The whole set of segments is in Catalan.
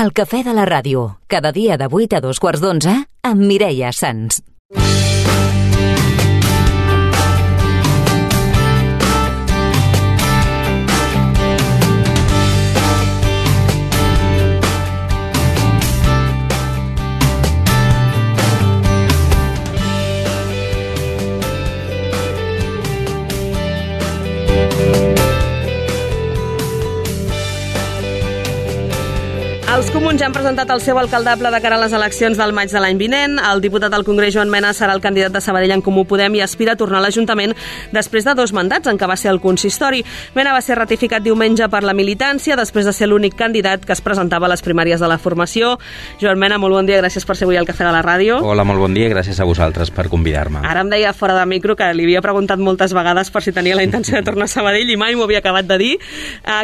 El cafè de la ràdio, cada dia de 8 a 11:15, amb Mireia Sans. Els comuns ja han presentat el seu alcaldable de cara a les eleccions del maig de l'any vinent. El diputat al Congrés, Joan Mena, serà el candidat de Sabadell en Comú Podem i aspira a tornar a l'Ajuntament després de 2 mandats en què va ser el consistori. Mena va ser ratificat diumenge per la militància després de ser l'únic candidat que es presentava a les primàries de la formació. Joan Mena, molt bon dia, gràcies per ser avui al Cafè de la Ràdio. Hola, molt bon dia, gràcies a vosaltres per convidar-me. Ara em deia fora de micro que li havia preguntat moltes vegades per si tenia la intenció de tornar a Sabadell i mai m'ho havia acabat de dir.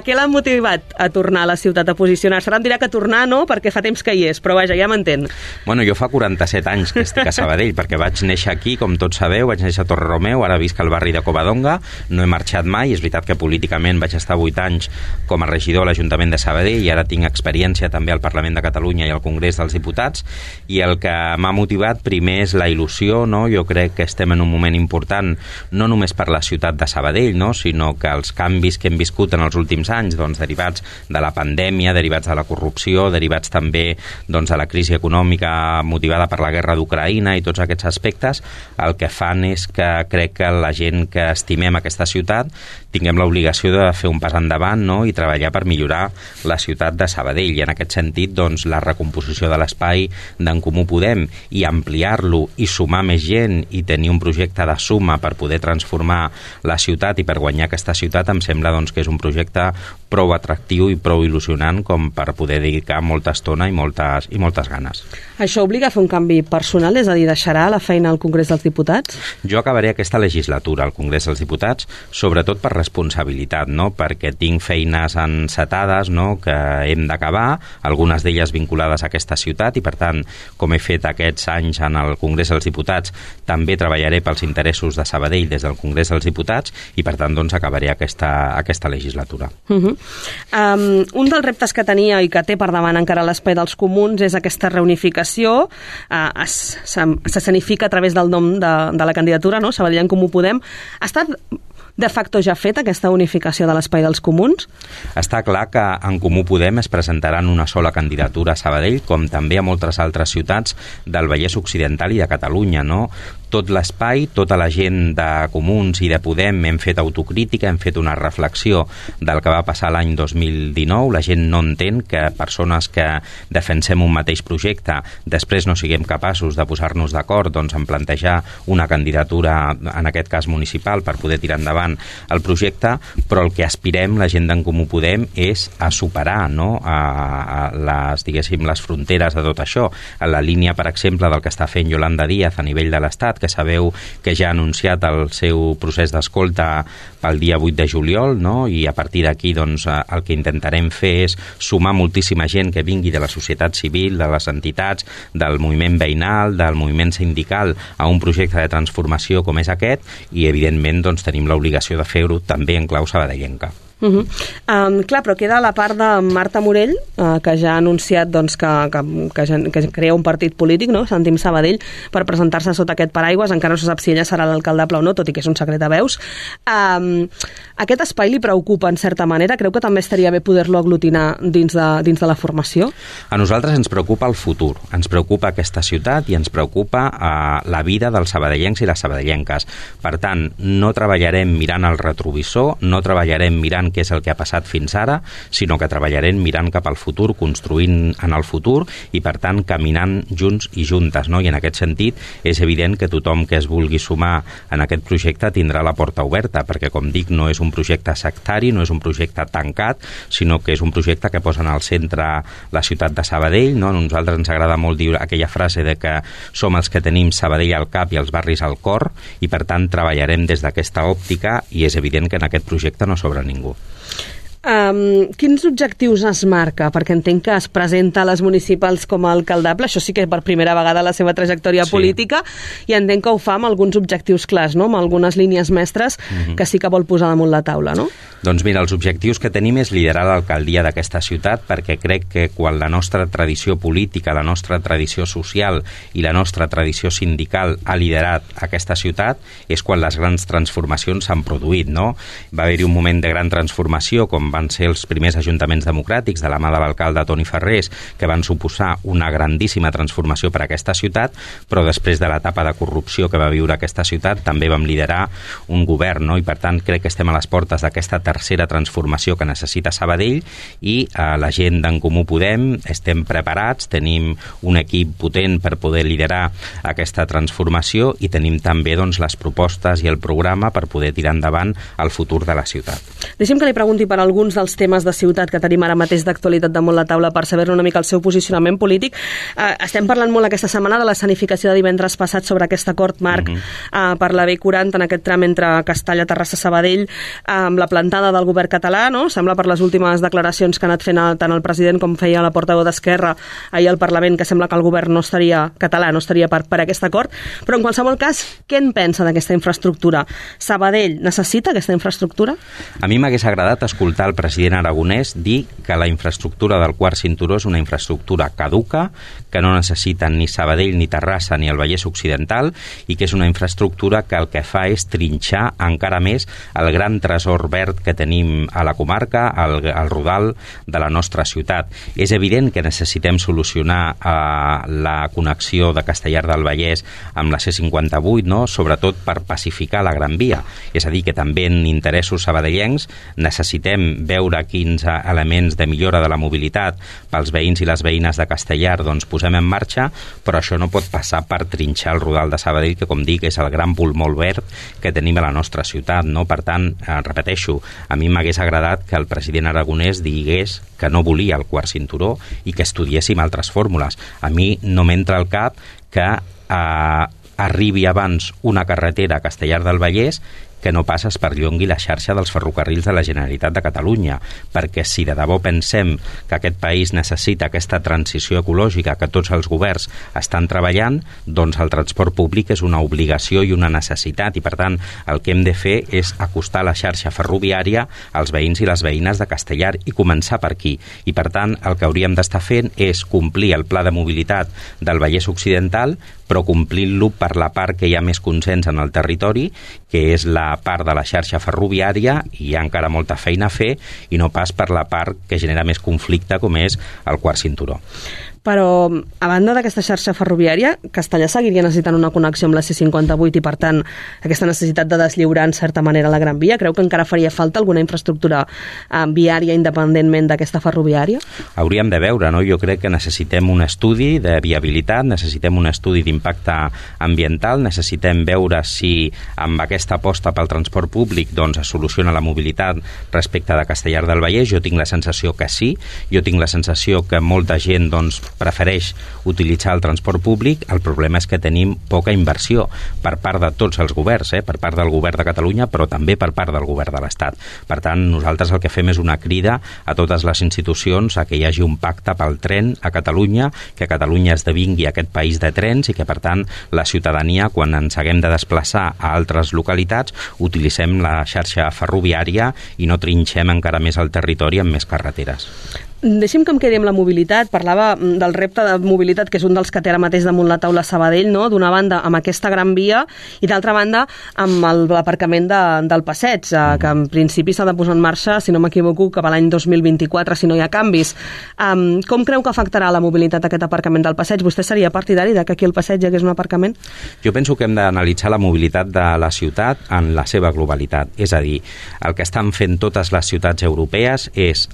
Què l'ha motivat a tornar a la ciutat, a posicionar-se? Ara em dirà que tornar no, perquè fa temps que hi és, però vaja, ja m'entén. Bueno, jo fa 47 anys que estic a Sabadell, perquè vaig néixer aquí, com tots sabeu, vaig néixer a Torreromeu, ara visc al barri de Covadonga, no he marxat mai, és veritat que políticament vaig estar 8 anys com a regidor a l'Ajuntament de Sabadell i ara tinc experiència també al Parlament de Catalunya i al Congrés dels Diputats, i el que m'ha motivat primer és la il·lusió, no? Jo crec que estem en un moment important, no només per la ciutat de Sabadell, no? Sinó que els canvis que hem viscut en els últims anys, doncs, derivats de la pandèmia, derivats de la corrupció, derivats també de la crisi econòmica motivada per la guerra d'Ucraïna i tots aquests aspectes, el que fan és que crec que la gent que estimem aquesta ciutat tinguem l'obligació de fer un pas endavant, no? I treballar per millorar la ciutat de Sabadell. I en aquest sentit, doncs, la recomposició de l'espai d'en Comú Podem i ampliar-lo i sumar més gent i tenir un projecte de suma per poder transformar la ciutat i per guanyar aquesta ciutat em sembla doncs, que és un projecte prou atractiu i prou il·lusionant com per poder dedicar molta estona i moltes ganes. Això obliga a fer un canvi personal, és a dir, deixarà la feina al Congrés dels Diputats? Jo acabaré aquesta legislatura al Congrés dels Diputats, sobretot per responsabilitat, no? Perquè tinc feines encetades, no? Que hem d'acabar, algunes d'elles vinculades a aquesta ciutat i, per tant, com he fet aquests anys en el Congrés dels Diputats, també treballaré pels interessos de Sabadell des del Congrés dels Diputats i, per tant, doncs, acabaré aquesta legislatura. Un dels reptes que tenia i que té per davant encara l'espai dels comuns és aquesta reunificació. S'escenifica a través del nom de la candidatura, no? Sabadell en Comú Podem. Ha estat de facto ja feta aquesta unificació de l'espai dels comuns? Està clar que en Comú Podem es presentaran una sola candidatura a Sabadell, com també a moltes altres ciutats del Vallès Occidental i de Catalunya, no? Tot l'espai, tota la gent de Comuns i de Podem hem fet autocrítica, hem fet una reflexió del que va passar l'any 2019. La gent no entén que persones que defensem un mateix projecte després no siguem capaços de posar-nos d'acord doncs, en plantejar una candidatura, en aquest cas municipal, per poder tirar endavant el projecte, però el que aspirem, la gent d'en Comú Podem, és a superar, no? a les fronteres de tot això. A la línia, per exemple, del que està fent Yolanda Díaz a nivell de l'Estat, que sabeu que ja ha anunciat el seu procés d'escolta pel dia 8 de juliol, no? I a partir d'aquí doncs, el que intentarem fer és sumar moltíssima gent que vingui de la societat civil, de les entitats, del moviment veïnal, del moviment sindical, a un projecte de transformació com és aquest, i evidentment doncs, tenim l'obligació de fer-ho també en clau sabadellenca. Clar, però queda la part de Marta Morell, que ja ha anunciat doncs, que crea un partit polític, no? Sentim Sabadell, per presentar-se sota aquest paraigües. Encara no se sap si ella serà l'alcaldable o no, tot i que és un secret a veus. Aquest espai li preocupa en certa manera? Creu que també estaria bé poder-lo aglutinar dins de la formació? A nosaltres ens preocupa el futur, ens preocupa aquesta ciutat i ens preocupa la vida dels sabadellencs i les sabadellenques. Per tant, no treballarem mirant el retrovisor, no treballarem mirant què és el que ha passat fins ara, sinó que treballarem mirant cap al futur, construint en el futur i, per tant, caminant junts i juntes, no? I en aquest sentit és evident que tothom que es vulgui sumar en aquest projecte tindrà la porta oberta, perquè, com dic, no és un projecte sectari, no és un projecte tancat, sinó que és un projecte que posa en el centre la ciutat de Sabadell, no? A nosaltres ens agrada molt dir aquella frase de que som els que tenim Sabadell al cap i els barris al cor, i, per tant, treballarem des d'aquesta òptica i és evident que en aquest projecte no sobra ningú. Quins objectius es marca? Perquè entenc que es presenta a les municipals com a alcaldable, això sí que per primera vegada a la seva trajectòria política, i entenc que ho fa amb alguns objectius clars, no? Amb algunes línies mestres que sí que vol posar damunt la taula, no? Doncs mira, els objectius que tenim és liderar l'alcaldia d'aquesta ciutat, perquè crec que quan la nostra tradició política, la nostra tradició social i la nostra tradició sindical ha liderat aquesta ciutat, és quan les grans transformacions s'han produït, no? Va haver-hi un moment de gran transformació, com van ser els primers ajuntaments democràtics de la mà de l'alcalde Toni Ferrés, que van suposar una grandíssima transformació per a aquesta ciutat, però després de l'etapa de corrupció que va viure aquesta ciutat també vam liderar un govern, no? I per tant crec que estem a les portes d'aquesta tercera transformació que necessita Sabadell, i la gent d'en Comú Podem estem preparats, tenim un equip potent per poder liderar aquesta transformació i tenim també doncs, les propostes i el programa per poder tirar endavant el futur de la ciutat. Deixi'm que li pregunti per alguns dels temes de ciutat que tenim ara mateix d'actualitat damunt la taula per saber-ne una mica el seu posicionament polític. Estem parlant molt aquesta setmana de l'escenificació de divendres passat sobre aquest acord marc per la B40 en aquest tram entre Castalla, Terrassa, Sabadell, amb la plantada del govern català, no? Sembla per les últimes declaracions que ha anat fent tant el president com feia la portaveu d'Esquerra ahir al Parlament, que sembla que el govern no estaria català, no estaria per aquest acord, però en qualsevol cas, què en pensa d'aquesta infraestructura? Sabadell necessita aquesta infraestructura? A mi m'hagués agradat escoltar el president aragonès dir que la infraestructura del quart cinturó és una infraestructura caduca, que no necessiten ni Sabadell, ni Terrassa, ni el Vallès Occidental, i que és una infraestructura que el que fa és trinxar encara més el gran tresor verd que tenim a la comarca, al rodal de la nostra ciutat. És evident que necessitem solucionar la connexió de Castellar del Vallès amb la C58, no? Sobretot per pacificar la Gran Via. És a dir, que també en interessos sabadellencs necessitem veure quins elements de millora de la mobilitat pels veïns i les veïnes de Castellar doncs posem en marxa, però això no pot passar per trinxar el rodal de Sabadell, que com dic és el gran pulmó verd que tenim a la nostra ciutat, no? Per tant, repeteixo, a mi m'hagués agradat que el president aragonès digués que no volia el quart cinturó i que estudiéssim altres fórmules. A mi no m'entra al cap que arribi abans una carretera a Castellar del Vallès que no pas es perllongui la xarxa dels ferrocarrils de la Generalitat de Catalunya, perquè si de debò pensem que aquest país necessita aquesta transició ecològica que tots els governs estan treballant, doncs el transport públic és una obligació i una necessitat, i per tant el que hem de fer és acostar la xarxa ferroviària als veïns i les veïnes de Castellar i començar per aquí. I per tant el que hauríem d'estar fent és complir el pla de mobilitat del Vallès Occidental, però complint-lo per la part que hi ha més consens en el territori, que és la part de la xarxa ferroviària, i hi ha encara molta feina a fer, i no pas per la part que genera més conflicte, com és el quart cinturó. Però, a banda d'aquesta xarxa ferroviària, Castellar seguiria necessitant una connexió amb la C58 i, per tant, aquesta necessitat de deslliurar, en certa manera, la Gran Via. Creu que encara faria falta alguna infraestructura viària independentment d'aquesta ferroviària? Hauríem de veure, no? Jo crec que necessitem un estudi de viabilitat, necessitem un estudi d'impacte ambiental, necessitem veure si amb aquesta aposta pel transport públic doncs, es soluciona la mobilitat respecte de Castellar del Vallès. Jo tinc la sensació que sí, jo tinc la sensació que molta gent doncs, prefereix utilitzar el transport públic. El problema és que tenim poca inversió per part de tots els governs, per part del govern de Catalunya, però també per part del govern de l'Estat. Per tant, nosaltres el que fem és una crida a totes les institucions a que hi hagi un pacte pel tren a Catalunya, que Catalunya esdevingui aquest país de trens i que, per tant, la ciutadania, quan ens haguem de desplaçar a altres localitats, utilitzem la xarxa ferroviària i no trinxem encara més el territori amb més carreteres. Deixi'm que em quedi amb la mobilitat. Parlava del repte de mobilitat, que és un dels que té ara mateix damunt la taula Sabadell, no? D'una banda amb aquesta Gran Via i d'altra banda amb l'aparcament del passeig, que en principi s'ha de posar en marxa, si no m'equivoco, cap a l'any 2024, si no hi ha canvis. Com creu que afectarà la mobilitat aquest aparcament del passeig? Vostè seria partidari que aquí al passeig hi hagués un aparcament? Jo penso que hem d'analitzar la mobilitat de la ciutat en la seva globalitat. És a dir, el que estan fent totes les ciutats europees és,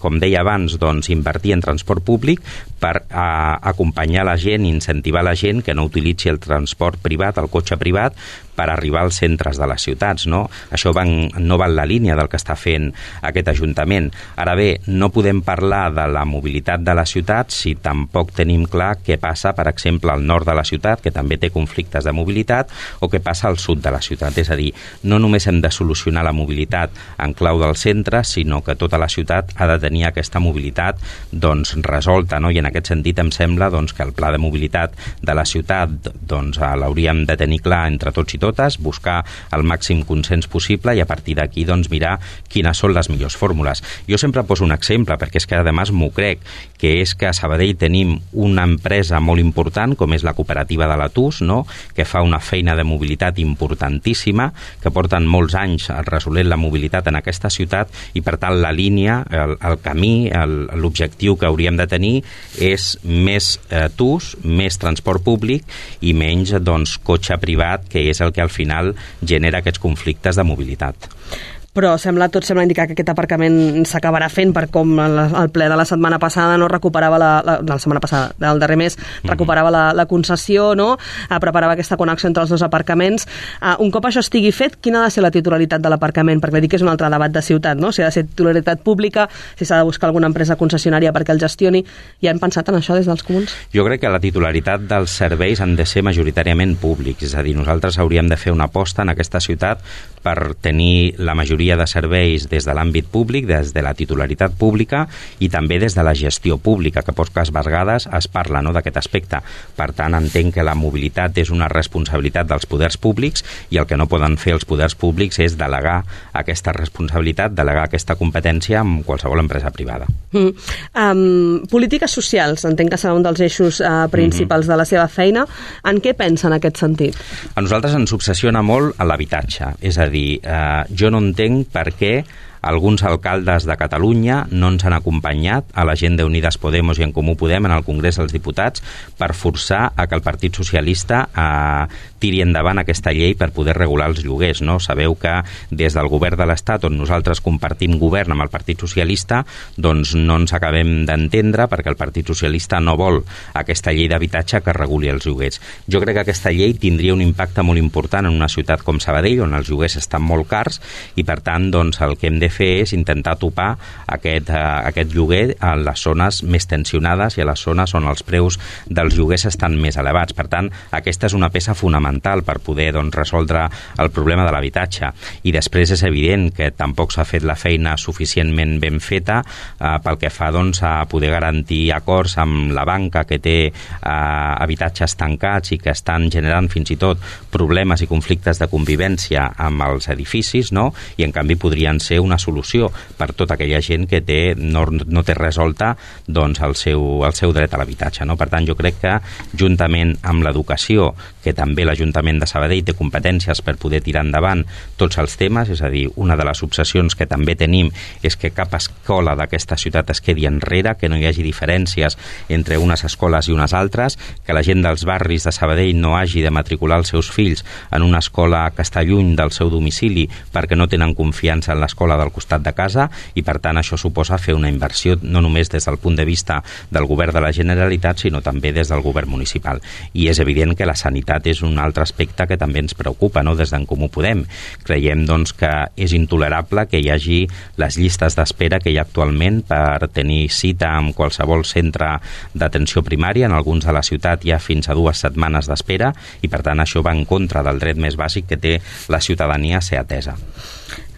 com deia abans, abans, doncs, invertir en transport públic per acompanyar la gent, incentivar la gent que no utilitzi el transport privat, el cotxe privat, per arribar als centres de les ciutats, no? Això no va en la línia del que està fent aquest Ajuntament. Ara bé, no podem parlar de la mobilitat de la ciutat si tampoc tenim clar què passa, per exemple, al nord de la ciutat, que també té conflictes de mobilitat, o què passa al sud de la ciutat. És a dir, no només hem de solucionar la mobilitat en clau del centre, sinó que tota la ciutat ha de tenir aquesta mobilitat doncs, resolta, no? I en aquest sentit em sembla doncs, que el pla de mobilitat de la ciutat doncs, l'hauríem de tenir clar entre tots i totes, buscar el màxim consens possible i a partir d'aquí doncs, mirar quines són les millors fórmules. Jo sempre poso un exemple, perquè és que a més m'ho crec, que és que a Sabadell tenim una empresa molt important, com és la cooperativa de la TUS, no? Que fa una feina de mobilitat importantíssima, que porten molts anys resolent la mobilitat en aquesta ciutat i per tant la línia, el camí, l'objectiu que hauríem de tenir és més TUS, més transport públic i menys doncs, cotxe privat, que és el que al final genera aquests conflictes de mobilitat. Però tot sembla indicar que aquest aparcament s'acabarà fent per com el ple de la setmana passada no recuperava la setmana passada, del darrer mes, recuperava la concessió, no? Preparava aquesta connexió entre els dos aparcaments. Un cop això estigui fet, quina ha de ser la titularitat de l'aparcament? Perquè dic que és un altre debat de ciutat, no? Si ha de ser titularitat pública, si s'ha de buscar alguna empresa concessionària perquè el gestioni. Ja han pensat en això des dels comuns? Jo crec que la titularitat dels serveis han de ser majoritàriament públics, és a dir, nosaltres hauríem de fer una aposta en aquesta ciutat per tenir la majoria de serveis des de l'àmbit públic, des de la titularitat pública i també des de la gestió pública, que poques vegades es parla, no, d'aquest aspecte. Per tant, entenc que la mobilitat és una responsabilitat dels poders públics i el que no poden fer els poders públics és delegar aquesta responsabilitat, delegar aquesta competència en qualsevol empresa privada. Polítiques socials, entenc que serà un dels eixos principals de la seva feina. En què pensa en aquest sentit? A nosaltres ens obsessiona molt l'habitatge, és a dir, jo no entenc per què alguns alcaldes de Catalunya no ens han acompanyat a la gent d'Unides Podemos i en Comú Podem en el Congrés dels Diputats per forçar a que el Partit Socialista tiri endavant aquesta llei per poder regular els lloguers, no? Sabeu que des del govern de l'Estat, on nosaltres compartim govern amb el Partit Socialista, doncs no ens acabem d'entendre perquè el Partit Socialista no vol aquesta llei d'habitatge que reguli els lloguers. Jo crec que aquesta llei tindria un impacte molt important en una ciutat com Sabadell, on els lloguers estan molt cars i per tant doncs, el que hem de fer és intentar topar aquest lloguer a les zones més tensionades i a les zones on els preus dels lloguers estan més elevats. Per tant, aquesta és una peça fonamental per poder doncs, resoldre el problema de l'habitatge. I després és evident que tampoc s'ha fet la feina suficientment ben feta pel que fa doncs, a poder garantir acords amb la banca que té habitatges tancats i que estan generant fins i tot problemes i conflictes de convivència amb els edificis, no? I en canvi podrien ser una solució per tota aquella gent que no té resolta doncs, el seu dret a l'habitatge. No? Per tant, jo crec que juntament amb l'educació, que també l'Ajuntament de Sabadell té competències per poder tirar endavant tots els temes, és a dir, una de les obsessions que també tenim és que cap escola d'aquesta ciutat es quedi enrere, que no hi hagi diferències entre unes escoles i unes altres, que la gent dels barris de Sabadell no hagi de matricular els seus fills en una escola que està lluny del seu domicili perquè no tenen confiança en l'escola del costat de casa i per tant això suposa fer una inversió no només des del punt de vista del govern de la Generalitat sinó també des del govern municipal. I és evident que la sanitat és un altre aspecte que també ens preocupa, no? Des d'en Comú Podem. Creiem doncs, que és intolerable que hi hagi les llistes d'espera que hi ha actualment per tenir cita en qualsevol centre d'atenció primària. En alguns de la ciutat hi ha fins a 2 setmanes d'espera i per tant això va en contra del dret més bàsic que té la ciutadania a ser atesa.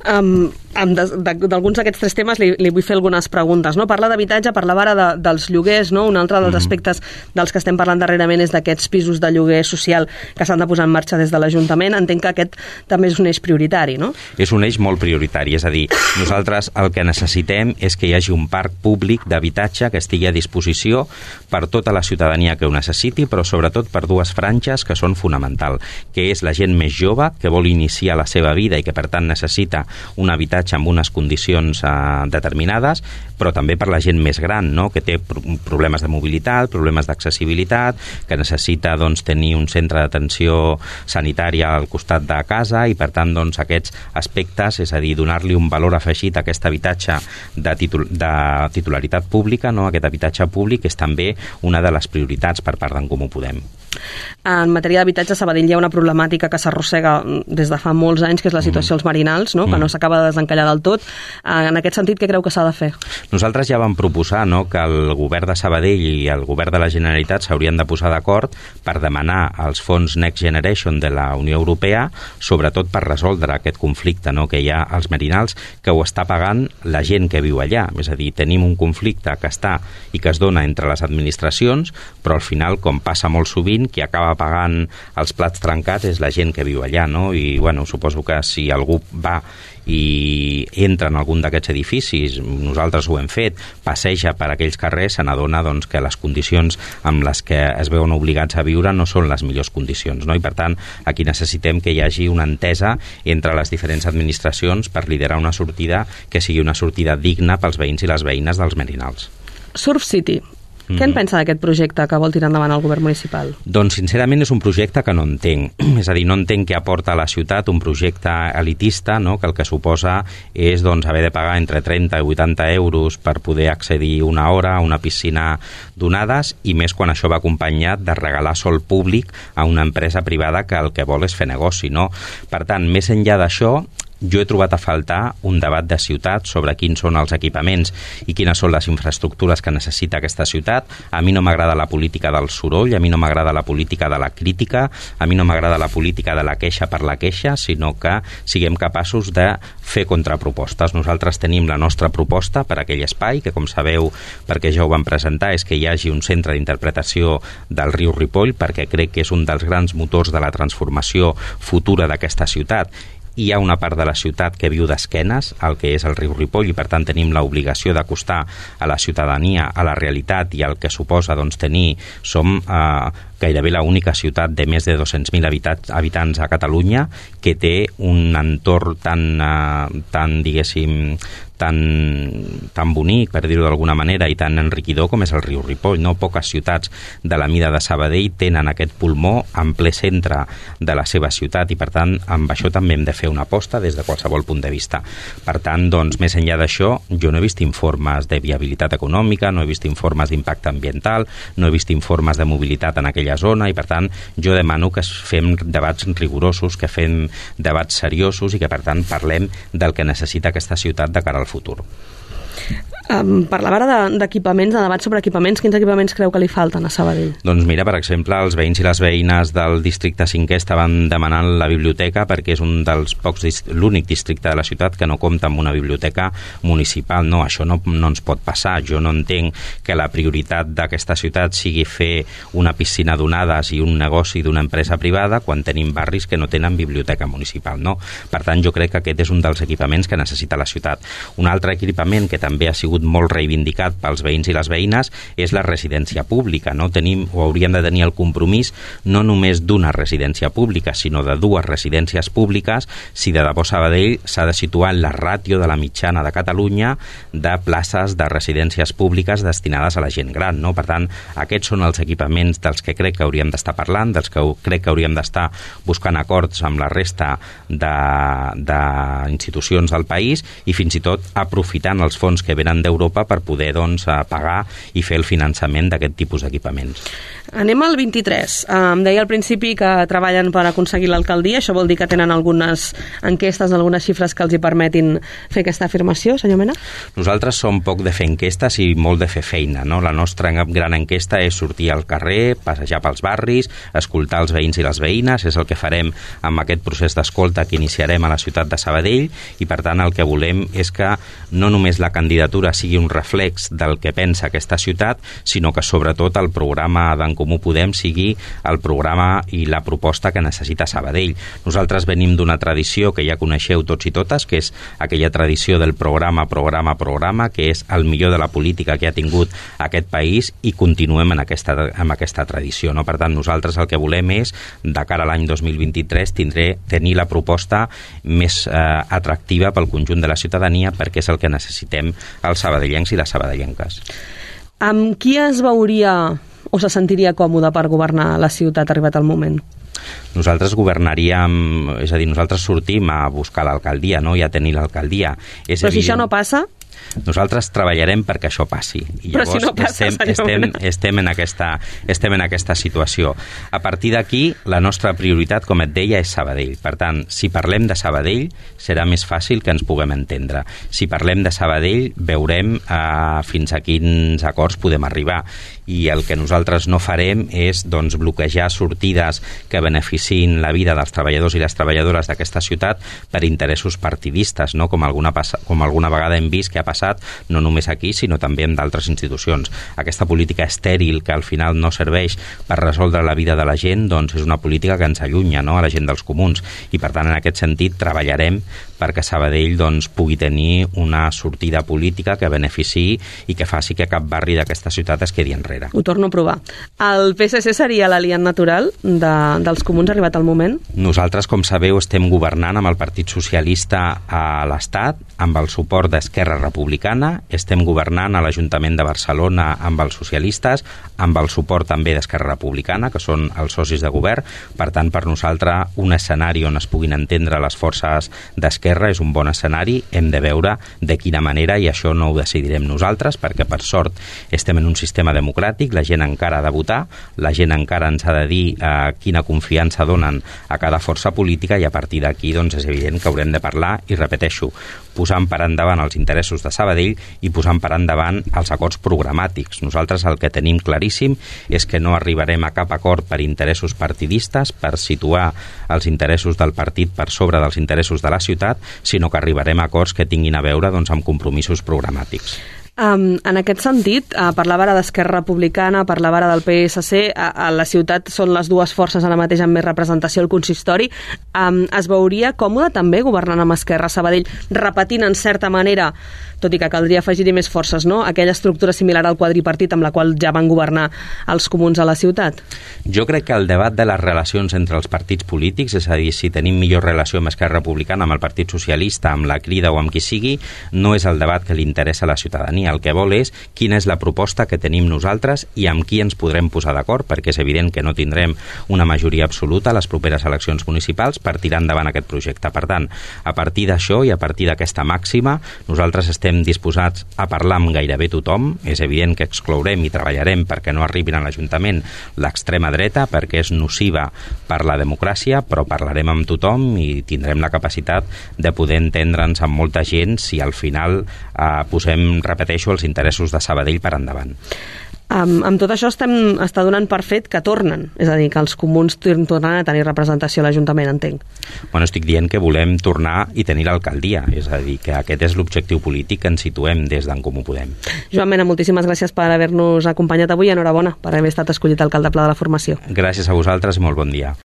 D'alguns d'aquests 3 temes li vull fer algunes preguntes, no? Parla d'habitatge, parlava ara dels lloguers, no? Un altre dels aspectes dels que estem parlant darrerament és d'aquests pisos de lloguer social que s'han de posar en marxa des de l'Ajuntament. Entenc que aquest també és un eix prioritari, no? És un eix molt prioritari, és a dir, nosaltres el que necessitem és que hi hagi un parc públic d'habitatge que estigui a disposició per tota la ciutadania que ho necessiti, però sobretot per 2 franges que són fonamental, que és la gent més jove que vol iniciar la seva vida i que per tant necessita un habitatge amb unes condicions determinades, però també per la gent més gran, no? Que té problemes de mobilitat, problemes d'accessibilitat, que necessita doncs, tenir un centre d'atenció sanitària al costat de casa i, per tant, doncs, aquests aspectes, és a dir, donar-li un valor afegit a aquest habitatge de titularitat pública, no? Aquest habitatge públic és també una de les prioritats per part d'en Comú Podem. En matèria d'habitatge, a Sabadell hi ha una problemàtica que s'arrossega des de fa molts anys, que és la situació als Marinals, no? Que no s'acaba de desencallar del tot. En aquest sentit, què creu que s'ha de fer? Nosaltres ja vam proposar, no?, que el govern de Sabadell i el govern de la Generalitat s'haurien de posar d'acord per demanar els fons Next Generation de la Unió Europea, sobretot per resoldre aquest conflicte, no?, que hi ha als Marinals, que ho està pagant la gent que viu allà. És a dir, tenim un conflicte que està i que es dona entre les administracions, però al final, com passa molt sovint, qui acaba pagant els plats trencats és la gent que viu allà, no? I, bueno, suposo que si algú va i entra en algun d'aquests edificis, nosaltres ho hem fet, passeja per aquells carrers, se n'adona doncs, que les condicions amb les que es veuen obligats a viure no són les millors condicions, no? I per tant, aquí necessitem que hi hagi una entesa entre les diferents administracions per liderar una sortida que sigui una sortida digna pels veïns i les veïnes dels Marinals. Surf City. Què en pensa d'aquest projecte que vol tirar endavant el govern municipal? Doncs, sincerament, és un projecte que no entenc. És a dir, no entenc què aporta a la ciutat un projecte elitista, no?, que el que suposa és doncs, haver de pagar entre 30 i 80 euros per poder accedir una hora a una piscina donades, i més quan això va acompanyat de regalar sol públic a una empresa privada que el que vol és fer negoci, no? Per tant, més enllà d'això, jo he trobat a faltar un debat de ciutat sobre quins són els equipaments i quines són les infraestructures que necessita aquesta ciutat. A mi no m'agrada la política del soroll, a mi no m'agrada la política de la crítica, a mi no m'agrada la política de la queixa per la queixa, sinó que siguem capaços de fer contrapropostes. Nosaltres tenim la nostra proposta per a aquell espai, que com sabeu, perquè ja ho vam presentar, és que hi hagi un centre d'interpretació del riu Ripoll, perquè crec que és un dels grans motors de la transformació futura d'aquesta ciutat. Hi ha una part de la ciutat que viu d'esquenes al que és el riu Ripoll, i per tant tenim l'obligació d'acostar a la ciutadania a la realitat i al que suposa doncs, tenir, som gairebé l'única ciutat de més de 200.000 habitants a Catalunya que té un entorn tan diguéssim, tan bonic, per dir-ho d'alguna manera, i tan enriquidor com és el riu Ripoll. No poques ciutats de la mida de Sabadell tenen aquest pulmó en ple centre de la seva ciutat, i per tant amb això també hem de fer una aposta des de qualsevol punt de vista. Per tant, doncs, més enllà d'això, jo no he vist informes de viabilitat econòmica, no he vist informes d'impacte ambiental, no he vist informes de mobilitat en aquella zona, i per tant jo demano que fem debats rigorosos, que fem debats seriosos i que per tant parlem del que necessita aquesta ciutat de cara al futur. Parlava ara d'equipaments, de debat sobre equipaments. Quins equipaments creu que li falten a Sabadell? Doncs mira, per exemple, els veïns i les veïnes del districte 5è estaven demanant la biblioteca, perquè és un dels l'únic districte de la ciutat que no compta amb una biblioteca municipal. No, això no ens pot passar. Jo no entenc que la prioritat d'aquesta ciutat sigui fer una piscina d'onades i un negoci d'una empresa privada quan tenim barris que no tenen biblioteca municipal, no? Per tant, jo crec que aquest és un dels equipaments que necessita la ciutat. Un altre equipament que també ha sigut molt reivindicat pels veïns i les veïnes és la residència pública, no? Tenim o hauríem de tenir el compromís no només d'una residència pública, sinó de dues residències públiques si de debò Sabadell s'ha de situar en la ràtio de la mitjana de Catalunya de places de residències públiques destinades a la gent gran, no? Per tant, aquests són els equipaments dels que crec que hauríem d'estar parlant, dels que crec que hauríem d'estar buscant acords amb la resta d'institucions del país, i fins i tot aprofitant els fons que venen d'Europa per poder doncs, pagar i fer el finançament d'aquest tipus d'equipaments. Anem al 23. Em deia al principi que treballen per aconseguir l'alcaldia. Això vol dir que tenen algunes enquestes, algunes xifres que els hi permetin fer aquesta afirmació, senyor Mena? Nosaltres som poc de fer enquestes i molt de fer feina, no? La nostra gran enquesta és sortir al carrer, passejar pels barris, escoltar els veïns i les veïnes. És el que farem amb aquest procés d'escolta que iniciarem a la ciutat de Sabadell, i per tant el que volem és que no només la candidatura sigui un reflex del que pensa aquesta ciutat, sinó que sobretot el programa d'en Comú Podem sigui el programa i la proposta que necessita Sabadell. Nosaltres venim d'una tradició que ja coneixeu tots i totes, que és aquella tradició del programa, que és el millor de la política que ha tingut aquest país, i continuem amb aquesta tradició, no? Per tant, nosaltres el que volem és, de cara a l'any 2023, tenir la proposta més atractiva pel conjunt de la ciutadania, perquè és el que necessitem els sabadellencs i les sabadellenques. Amb qui es veuria o se sentiria còmode per governar la ciutat arribat el moment? Nosaltres governaríem, és a dir, nosaltres sortim a buscar l'alcaldia, no? I a tenir l'alcaldia. Però si això no passa? Nosaltres treballarem perquè això passi. I llavors, però si no passa, estem en aquesta situació. A partir d'aquí, la nostra prioritat, com et deia, és Sabadell. Per tant, si parlem de Sabadell, serà més fàcil que ens puguem entendre. Si parlem de Sabadell, veurem fins a quins acords podem arribar. I el que nosaltres no farem és bloquejar sortides que beneficiïn la vida dels treballadors i les treballadores d'aquesta ciutat per interessos partidistes, no? Com alguna vegada hem vist que ha passat, no només aquí, sinó també en d'altres institucions. Aquesta política estèril que al final no serveix per resoldre la vida de la gent, doncs és una política que ens allunya, no?, a la gent dels comuns. I per tant, en aquest sentit, treballarem perquè Sabadell pugui tenir una sortida política que beneficiï i que faci que cap barri d'aquesta ciutat es quedi enrere. Ho torno a provar. El PSC seria l'aliat natural dels comuns arribat al moment? Nosaltres, com sabeu, estem governant amb el Partit Socialista a l'Estat, amb el suport d'Esquerra Republicana, estem governant a l'Ajuntament de Barcelona amb els socialistes, amb el suport també d'Esquerra Republicana, que són els socis de govern. Per tant, per nosaltres, un escenari on es puguin entendre les forces d'Esquerra és un bon escenari. Hem de veure de quina manera, i això no ho decidirem nosaltres, perquè per sort estem en un sistema democràtic, la gent encara ha de votar, la gent encara ens ha de dir quina confiança donen a cada força política, i a partir d'aquí és evident que haurem de parlar, i repeteixo, posant per endavant els interessos de Sabadell i posant per endavant els acords programàtics. Nosaltres el que tenim claríssim és que no arribarem a cap acord per interessos partidistes, per situar els interessos del partit per sobre dels interessos de la ciutat, sinó que arribarem a acords que tinguin a veure amb compromisos programàtics. En aquest sentit, parlava ara d'Esquerra Republicana, parlava ara del PSC, a la ciutat són les dues forces ara mateix amb més representació al consistori. Es veuria còmode també governant amb Esquerra a Sabadell, repetint en certa manera, tot i que caldria afegir-hi més forces, no?, aquella estructura similar al quadripartit amb la qual ja van governar els comuns a la ciutat? Jo crec que el debat de les relacions entre els partits polítics, és a dir, si tenim millor relació amb Esquerra Republicana, amb el Partit Socialista, amb la Crida o amb qui sigui, no és el debat que li interessa a la ciutadania. El que vol és quina és la proposta que tenim nosaltres i amb qui ens podrem posar d'acord, perquè és evident que no tindrem una majoria absoluta a les properes eleccions municipals per tirar endavant aquest projecte. Per tant, a partir d'això i a partir d'aquesta màxima, nosaltres estem disposats a parlar amb gairebé tothom. És evident que exclourem i treballarem perquè no arribin a l'Ajuntament l'extrema dreta, perquè és nociva per la democràcia, però parlarem amb tothom i tindrem la capacitat de poder entendre'ns amb molta gent si al final posem, repeteixo, els interessos de Sabadell per endavant. Amb tot això està donant per fet que tornen, és a dir, que els comuns tornen a tenir representació a l'Ajuntament, entenc. Bueno, estic dient que volem tornar i tenir l'alcaldia, és a dir, que aquest és l'objectiu polític que ens situem des d'en Comú Podem. Joan Mena, moltíssimes gràcies per haver-nos acompanyat avui, enhorabona per haver estat escollit alcalde pla de la formació. Gràcies a vosaltres i molt bon dia.